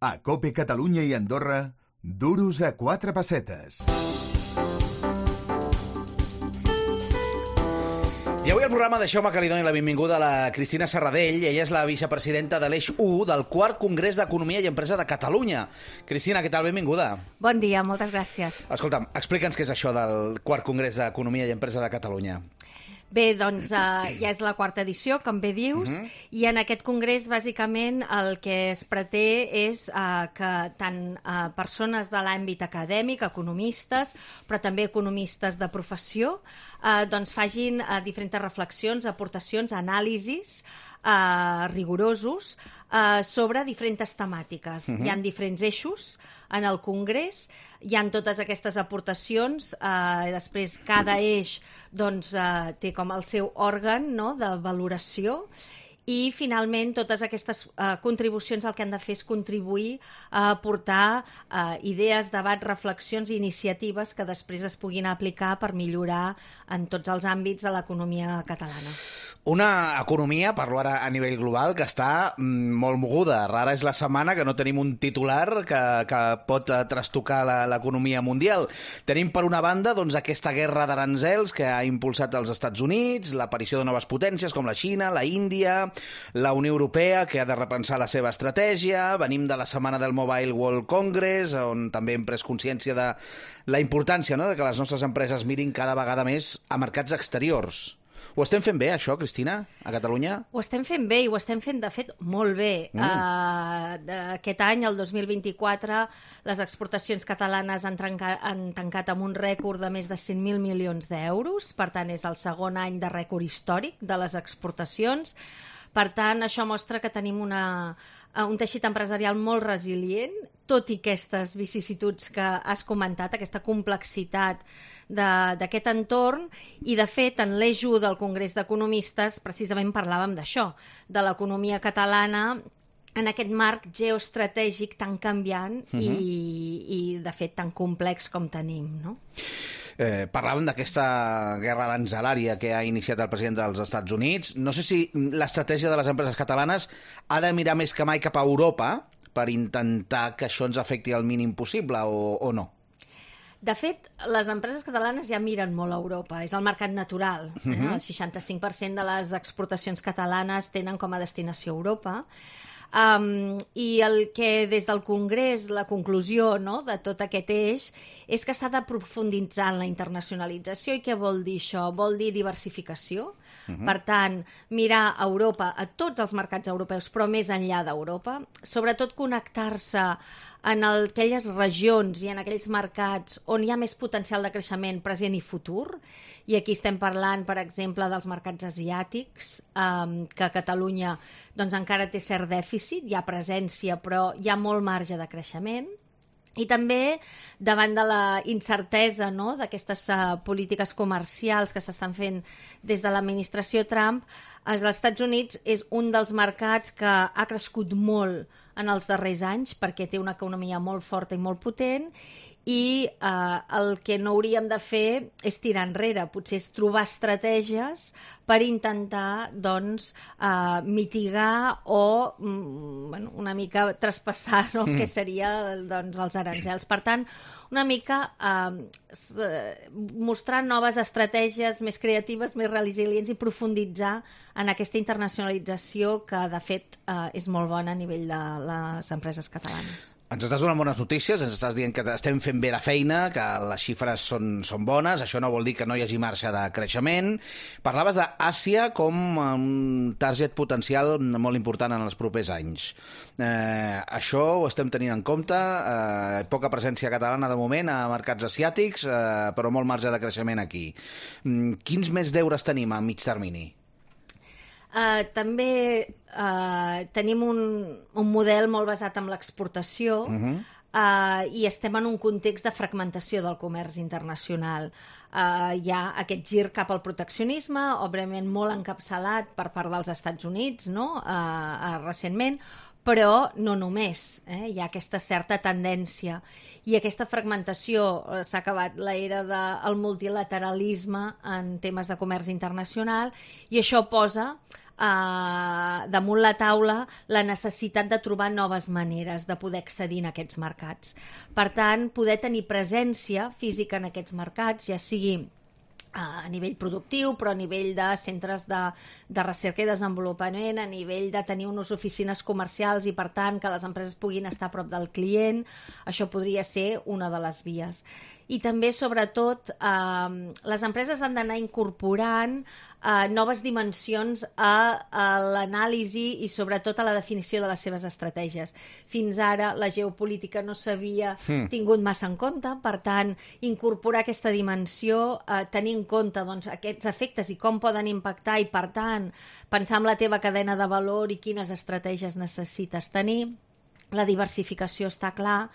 A COPE Catalunya i Andorra, duros a 4 pessetes. I avui al programa deixeu-me que li doni la benvinguda a la Cristina Serradell. Ella és la vicepresidenta de l'Eix 1 del 4 Congrés d'Economia i Empresa de Catalunya. Cristina, què tal? Benvinguda. Bon dia, moltes gràcies. Escolta'm, explica'ns què és això del 4 Congrés d'Economia i Empresa de Catalunya. Bé, doncs ja és la quarta edició, com bé dius, i en aquest congrés, bàsicament, el que es pretén és que tant persones de l'àmbit acadèmic, economistes, però també economistes de professió, doncs facin diferents reflexions, aportacions, anàlisis rigorosos sobre diferents temàtiques. Hi ha diferents eixos en el Congrés, hi ha totes aquestes aportacions, després cada eix doncs, té com el seu òrgan, no?, de valoració, i finalment totes aquestes contribucions el que han de fer és contribuir a aportar idees, debats, reflexions i iniciatives que després es puguin aplicar per millorar en tots els àmbits de l'economia catalana. Una economia, parlo ara a nivell global, que està molt moguda. Rara és la setmana que no tenim un titular que pot trastocar l'economia mundial. Tenim, per una banda, doncs, aquesta guerra d'aranzels que ha impulsat els Estats Units, l'aparició de noves potències com la Xina, la Índia, la Unió Europea, que ha de repensar la seva estratègia. Venim de la setmana del Mobile World Congress, on també hem pres consciència de la importància, no?, de que les nostres empreses mirin cada vegada més a mercats exteriors. Ho estem fent bé, això, Cristina, a Catalunya? Ho estem fent bé i ho estem fent, de fet, molt bé. Aquest any, el 2024, les exportacions catalanes han tancat amb un rècord de més de 100.000 milions d'euros. Per tant, és el segon any de rècord històric de les exportacions. Per tant, això mostra que tenim un teixit empresarial molt resilient, tot i aquestes vicissituds que has comentat, aquesta complexitat d'aquest entorn, i de fet en l'eix 1 del Congrés d'Economistes precisament parlàvem d'això, de l'economia catalana en aquest marc geoestratègic tan canviant i de fet tan complex com tenim, no? Parlàvem d'aquesta guerra aranzelària que ha iniciat el president dels Estats Units. No sé si l'estratègia de les empreses catalanes ha de mirar més que mai cap a Europa per intentar que això ens afecti el mínim possible o no? De fet, les empreses catalanes ja miren molt a Europa, és el mercat natural. El 65% de les exportacions catalanes tenen com a destinació Europa. I el que des del Congrés, la conclusió, no?, de tot aquest eix és que s'ha de profunditzar en la internacionalització. I què vol dir això? Vol dir diversificació. Per tant, mirar a Europa, a tots els mercats europeus, però més enllà d'Europa, sobretot connectar-se en aquelles regions i en aquells mercats on hi ha més potencial de creixement present i futur. I aquí estem parlant, per exemple, dels mercats asiàtics, que Catalunya doncs, encara té cert dèficit, hi ha presència, però hi ha molt marge de creixement. I també, davant de la incertesa, no?, d'aquestes polítiques comercials que s'estan fent des de l'administració Trump, els Estats Units és un dels mercats que ha crescut molt en els darrers anys perquè té una economia molt forta i molt potent, i el que no hauríem de fer és tirar enrere, potser és trobar estratègies per intentar doncs, mitigar o una mica traspassar, no?, què seria doncs, els aranzels. Per tant, una mica mostrar noves estratègies més creatives, més resilients i profunditzar en aquesta internacionalització que, de fet, és molt bona a nivell de les empreses catalanes. Ens estàs donant bones notícies, ens estàs dient que estem fent bé la feina, que les xifres són bones, això no vol dir que no hi hagi marge de creixement. Parlaves d'Àsia com un target potencial molt important en els propers anys. Això ho estem tenint en compte, poca presència catalana de moment a mercats asiàtics, però molt marge de creixement aquí. Quins més deures tenim a mig termini? També tenim un model molt basat en l'exportació i estem en un context de fragmentació del comerç internacional. Hi ha aquest gir cap al proteccionisme, òbviament molt encapçalat per part dels Estats Units, no?, recentment, però no només. Hi ha aquesta certa tendència. I aquesta fragmentació, s'ha acabat l'era del multilateralisme en temes de comerç internacional, i això posa damunt la taula la necessitat de trobar noves maneres de poder accedir a aquests mercats. Per tant, poder tenir presència física en aquests mercats, ja sigui a nivell productiu, però a nivell de centres de recerca i desenvolupament, a nivell de tenir unes oficines comercials i, per tant, que les empreses puguin estar a prop del client, això podria ser una de les vies. I també, sobretot, les empreses han d'anar incorporant noves dimensions a l'anàlisi i, sobretot, a la definició de les seves estratègies. Fins ara, la geopolítica no s'havia tingut massa en compte, per tant, incorporar aquesta dimensió, tenir en compte aquests efectes i com poden impactar i, per tant, pensar en la teva cadena de valor i quines estratègies necessites tenir. La diversificació està clar,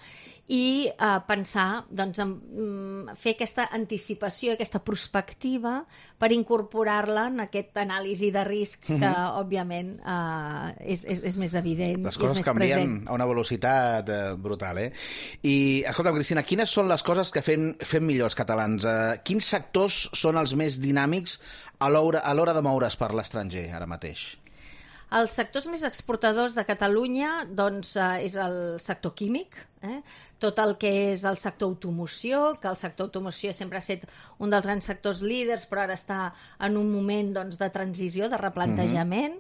i pensar, en fer aquesta anticipació, aquesta prospectiva per incorporar-la en aquesta anàlisi de risc que, òbviament, és més evident, les coses és més canvien present. a una velocitat brutal, I, escolta'm, Cristina, quines són les coses que fem millor els catalans? Quins sectors són els més dinàmics a l'hora de moure's per l'estranger, ara mateix? Els sectors més exportadors de Catalunya és el sector químic, tot el que és el sector automoció, que el sector automoció sempre ha estat un dels grans sectors líders, però ara està en un moment de transició, de replantejament.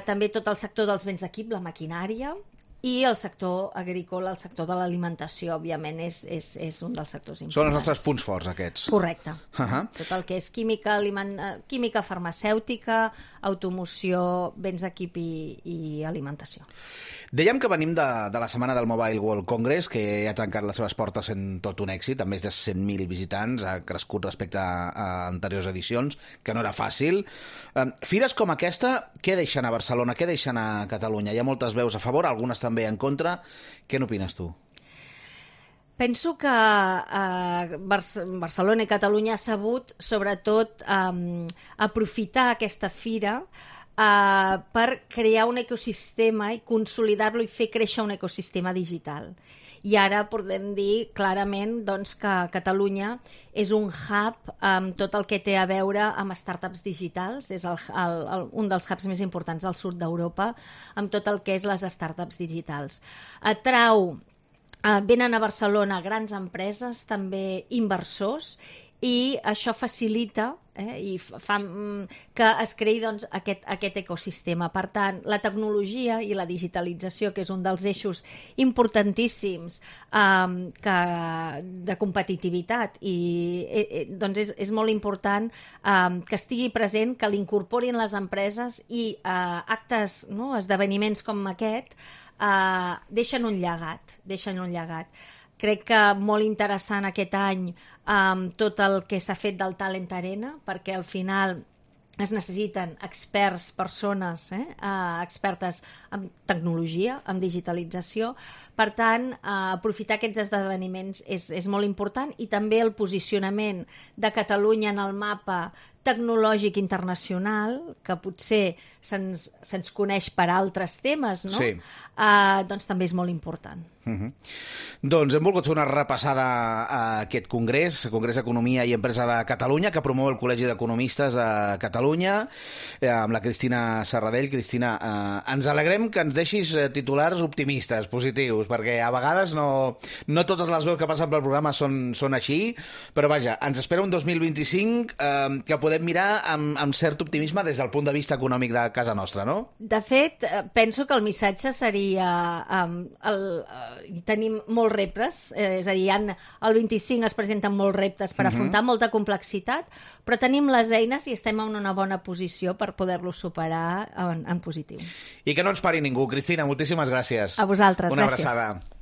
També tot el sector dels béns d'equip, la maquinària, i el sector agrícola, el sector de l'alimentació, òbviament, és un dels sectors importants. Són els nostres punts forts, aquests. Correcte. Tot el que és química farmacèutica, automoció, béns d'equip i alimentació. Dèiem que venim de la setmana del Mobile World Congress, que ha tancat les seves portes en tot un èxit, amb més de 100.000 visitants, ha crescut respecte a anteriors edicions, que no era fàcil. Fires com aquesta, què deixen a Barcelona, què deixen a Catalunya? Hi ha moltes veus a favor, algunes també en contra. Què n'opines tu? Penso que Barcelona i Catalunya ha sabut, sobretot, aprofitar aquesta fira per crear un ecosistema i consolidar-lo i fer créixer un ecosistema digital. I ara podem dir clarament que Catalunya és un hub amb tot el que té a veure amb startups digitals, és un dels hubs més importants del sud d'Europa, amb tot el que és les startups digitals. Venen a Barcelona grans empreses, també inversors, i això facilita i fa que es creï aquest ecosistema. Per tant, la tecnologia i la digitalització, que és un dels eixos importantíssims de competitivitat, i és molt important que estigui present, que l'incorporin les empreses, i actes, esdeveniments com aquest, deixen un llegat. Crec que molt interessant aquest any tot el que s'ha fet del Talent Arena, perquè al final es necessiten experts, persones expertes en tecnologia, en digitalització. Per tant, aprofitar aquests esdeveniments és molt important, i també el posicionament de Catalunya en el mapa tecnològic internacional, que potser se'ns coneix per altres temes, no? Sí. Doncs també és molt important. Doncs hem volgut fer una repassada a aquest congrés d'Economia i Empresa de Catalunya, que promou el Col·legi d'Economistes de Catalunya, amb la Cristina Serradell. Cristina, ens alegrem que ens deixis titulars optimistes, positius, perquè a vegades no totes les veus que passen pel programa són així, però vaja, ens espera un 2025 que podem mirar amb cert optimisme des del punt de vista econòmic de casa nostra, no? De fet, penso que el missatge seria tenim molts reptes, és a dir, el 25 es presenten molts reptes per afrontar molta complexitat, però tenim les eines i estem en una bona posició per poder-los superar en positiu. I que no ens pari ningú. Cristina, moltíssimes gràcies. A vosaltres, una gràcies. Una abraçada.